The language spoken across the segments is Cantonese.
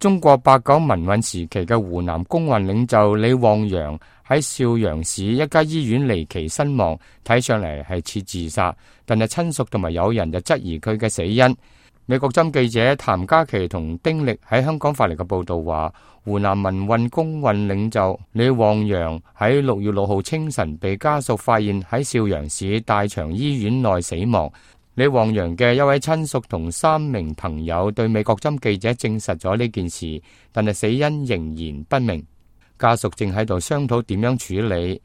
中國89民運時期嘅湖南工運領袖李旺陽喺邵陽市一家醫院離奇身亡，睇上嚟係似自殺，但係親屬同埋友人就質疑佢嘅死因。美國針記者譚嘉琪同丁力喺香港發嚟嘅報道話，湖南民運工運領袖李旺陽喺6月6號清晨被家屬發現喺邵陽市大長醫院內死亡。李旺陽嘅一位親屬同3名朋友對美國針記者證實咗呢件事，但係死因仍然不明。家屬正喺度商討點樣處理。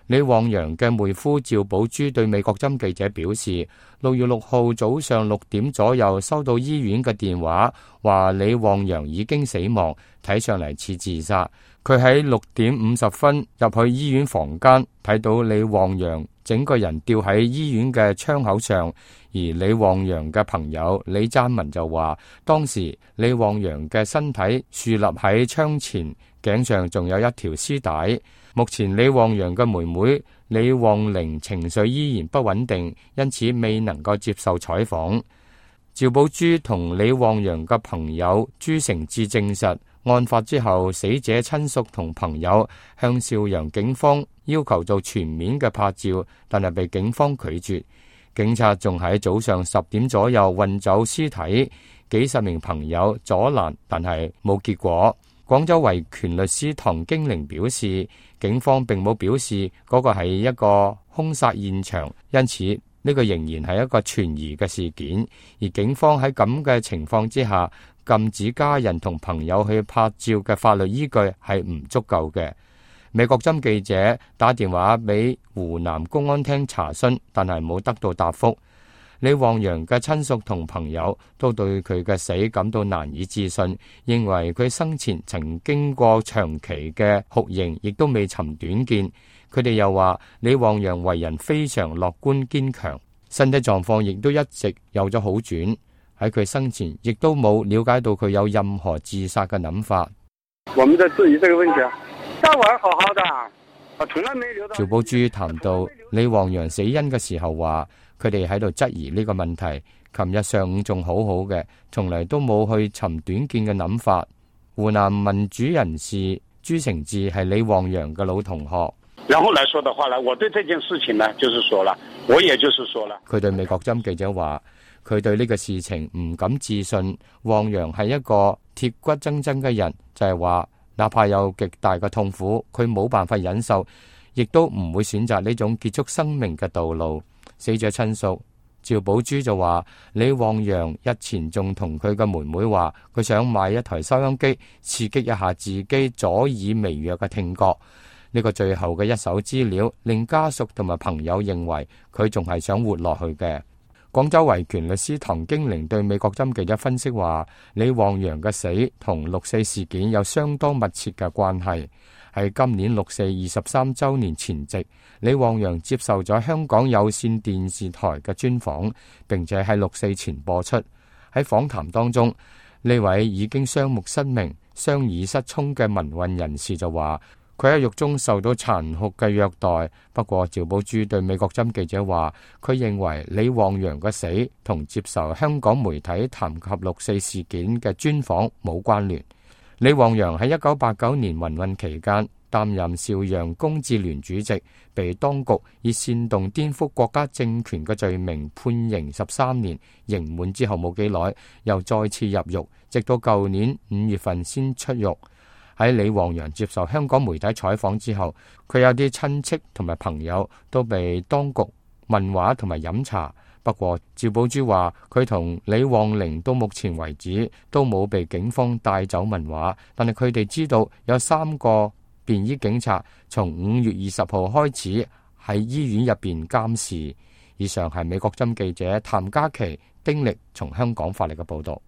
李旺陽嘅妹夫趙寶珠對美國針記者表示，6月6號早上6點左右收到醫院嘅電話，話李旺陽已經死亡，睇上嚟似自殺。佢喺6點50分入去醫院房間，睇到李旺陽整個人吊喺醫院嘅窗口上，而李旺陽嘅朋友李贊文就話，當時李旺陽嘅身體豎立喺窗前，頸上仲有一條絲帶。目前李旺陽嘅妹妹李旺玲情緒依然不穩定，因此未能夠接受採訪。趙寶珠同李旺陽嘅朋友朱成志證實，案發之後死者親屬同朋友向邵陽警方要求做全面嘅拍照，但係被警方拒絕。警察仲喺早上10點左右運走屍體，幾十名朋友阻攔，但係冇結果。廣州維權律師唐經玲表示，警方並冇表示嗰個係一個兇殺現場，因此呢個仍然係一個存疑嘅事件。而警方喺咁嘅情況之下，禁止家人同朋友去拍照嘅法律依據係唔足夠嘅。美國針記者打電話俾湖南公安廳查詢，但係冇得到答覆。李旺陽嘅親屬同朋友都對佢嘅死感到難以置信，認為佢生前曾經過長期嘅酷刑，亦都未尋短見。佢哋又話李旺陽為人非常樂觀堅強，身體狀況亦都一直有咗好轉。喺佢生前亦都冇了解到佢有任何自殺嘅諗法。我們在質疑這個問題啊，他玩好好的，我從來沒留到。趙寶珠談到李旺陽死因嘅時候話，佢哋喺度質疑呢個問題。琴日上午仲好好嘅，從嚟都冇去尋短見嘅諗法。湖南民主人士朱成志係李旺陽嘅老同學。然後來說的話呢，我對這件事情呢，就是說了，我也就是說了。佢對美國針記者話，佢對呢個事情唔敢置信。旺陽係一個鐵骨錚錚嘅人，就係話，哪怕有極大嘅痛苦，佢冇辦法忍受，亦都唔會選擇呢種結束生命嘅道路。死者親屬趙寶珠就話，李旺陽日前仲同佢嘅妹妹話，佢想買一台收音機，刺激一下自己左耳微弱嘅聽覺。呢個最後嘅一手資料令家屬同埋朋友認為佢仲係想活落去嘅。廣州維權律師唐經玲對美國針記者分析話，李旺陽嘅死同6·4事件有相當密切嘅關係。喺今年6·4 23週年前夕，李旺陽接受咗香港有線電視台嘅專訪，並且喺6·4前播出。喺訪談當中，呢位已經雙目失明、雙耳失聰嘅民運人士就話，佢喺獄中受到殘酷嘅虐待。不過趙寶珠對美國針記者話，佢認為李旺陽嘅死同接受香港媒體談及6·4事件嘅專訪冇關聯。李旺陽喺1989年民運期間擔任邵陽公智聯主席，被當局以煽動顛覆國家政權嘅罪名判刑13年，刑滿之後冇幾耐又再次入獄，直到舊年5月份先出獄。喺李旺陽接受香港媒體採訪之後，佢有啲親戚同埋朋友都被當局問話同埋飲茶。不過趙寶珠話，佢同李旺玲到目前為止都冇被警方帶走問話，但係佢哋知道有3個便衣警察從5月20號開始喺醫院入邊監視。以上係美國針記者譚嘉琪、丁力從香港發嚟嘅報道。